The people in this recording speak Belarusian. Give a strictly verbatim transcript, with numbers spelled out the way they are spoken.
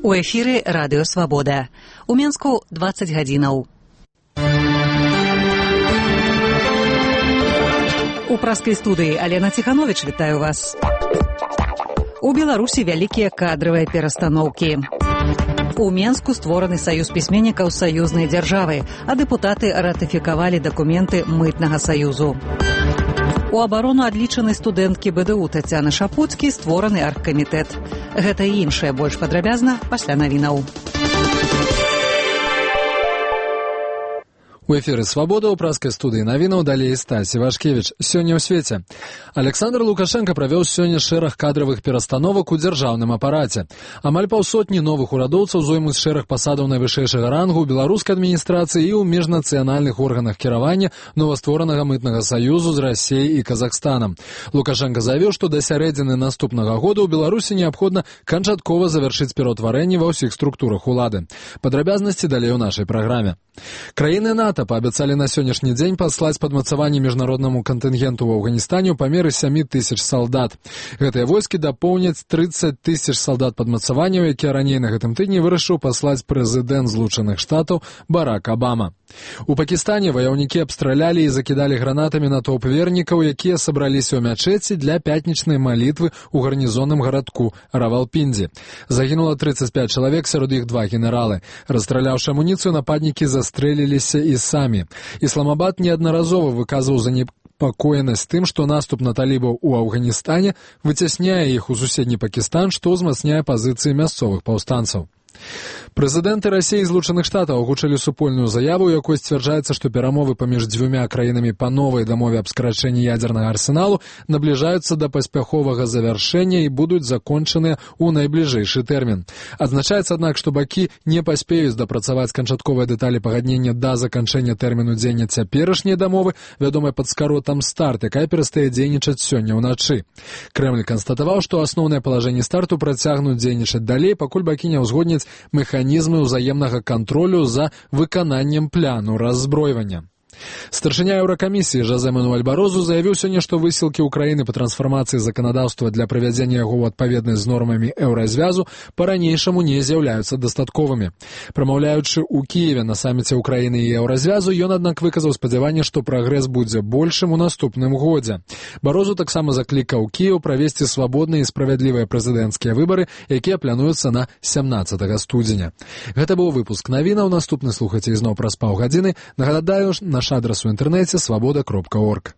У эфіры радыё Свабода. У Менску дваццаць гадзінаў. У праскай студыі Алена Ціхановіч вітаю вас. У Беларусі вялікія кадравыя перастаноўкі. У Менску створаны саюз пісьменнікаў саюзнай дзяржавы, а дэпутаты ратыфікавалі дакументы мытнага саюзу. У абарону адлічанай студэнткі БДУ Тацяны Шапуцкі створаны аргкамітэт. Гэта і іншае больш падрабязна пасля навінаў. У эфіры «Свабода» ў праскай студыі навінаў далей Стась Івашкевіч. Сёння ў свеце. Александр Лукашенко правёў сёння шэраг кадравых перастановак у дзяржаўным апараце. Амаль паўсотні новых урадоўцаў зоймуць шэраг пасадаў найвышэйшага рангу ў беларускай адміністрацыі і ў міжнацыянальных органах кіравання новастворанага мытнага саюзу з Расіяй і Казахстанам. Лукашенко заявіў, што да сярэдзіны наступнага года ў Беларусі неабходна канчаткова завяршыць пераўтварэнне ва ўсіх структурах улады. Падрабязнасці далей у нашай праграме. Краіны НАТО паабяцалі на сённяшні дзень паслаць падмацаванне міжнароднаму кантынгенту ў Афганістане ў памеры сямі тысяч салдат. Гэтыя войскі дапоўняць трыццаць тысяч салдат падмацаванняў, якія раней на гэтым тыдні вырашыў паслаць прэзідэнт Злучаных Штатаў Барак Абама. У Пакістане ваяўнікі абстралялі і закідалі гранатамі натоўп вернікаў, якія сабраліся ў мячэці для пятнічнай малітвы ў гарнізонным гарадку Равалпіндзі. Загінула трыццаць пяць чалавек, сярод іх два генералы. Расстраляўшы амуніцыю, нападнікі застрэліліся і самі. Ісламабад неаднаразова выказваў занепакоенасць тым, што наступ на талібаў у Афганістане выцясняе іх у суседні Пакістан, што ўзмацняе пазіцыі мясцовых паўстанцаў. Прэзідэнты Расіі і Злучаных Штатаў агучылі супольную заяву, у якой сцвярджаецца, што перамовы паміж дзвюмя краінамі па новай дамове аб скарачэнні ядзернага арсеналу набліжаюцца да паспяховага завяршэння і будуць закончаныя ў найбліжэйшы тэрмін. Адзначаецца, аднак, што бакі не паспеюць дапрацаваць канчатковыя дэталі пагаднення да заканчэння тэрміну дзеяння цяперашняй дамовы, вядомай пад скаротам «Старт», якая перастае дзейнічаць сёння ўначы. Крэмль канстатаваў, што асноўныя палажэнні «Старту» працягнуць дзейнічаць далей, пакуль бакі не ўзгодняць механізмы ўзаемнага кантролю за выкананнем пляну раззброівання. Старшыня Еўракамісіі Жозе Мануэль Барозу заявіў сёння, што высілкі ўкраіны па трансфармацыі заканадаўства для правядзення яго ў адпаведнасць з нормамі еўразвязу па-ранейшаму не з'яўляюцца дастатковымі. Прамаўляючы ў Кіеве на саміце ўкраіны і еўразвязу, ён, аднак, выказаў спадзяванне, што прагрэс будзе большым у наступным годзе. Барозу таксама заклікаў Кіеў правесці свабодныя і справядлівыя прэзідэнцкія выбары, якія плануюцца на сямнаццатага студзеня. Гэта быў выпуск навінаў. Наступны слухайце ізноў праз паўгадзіны. Нагадаю, наш адрас у інтэрнэце свабода кропка орг.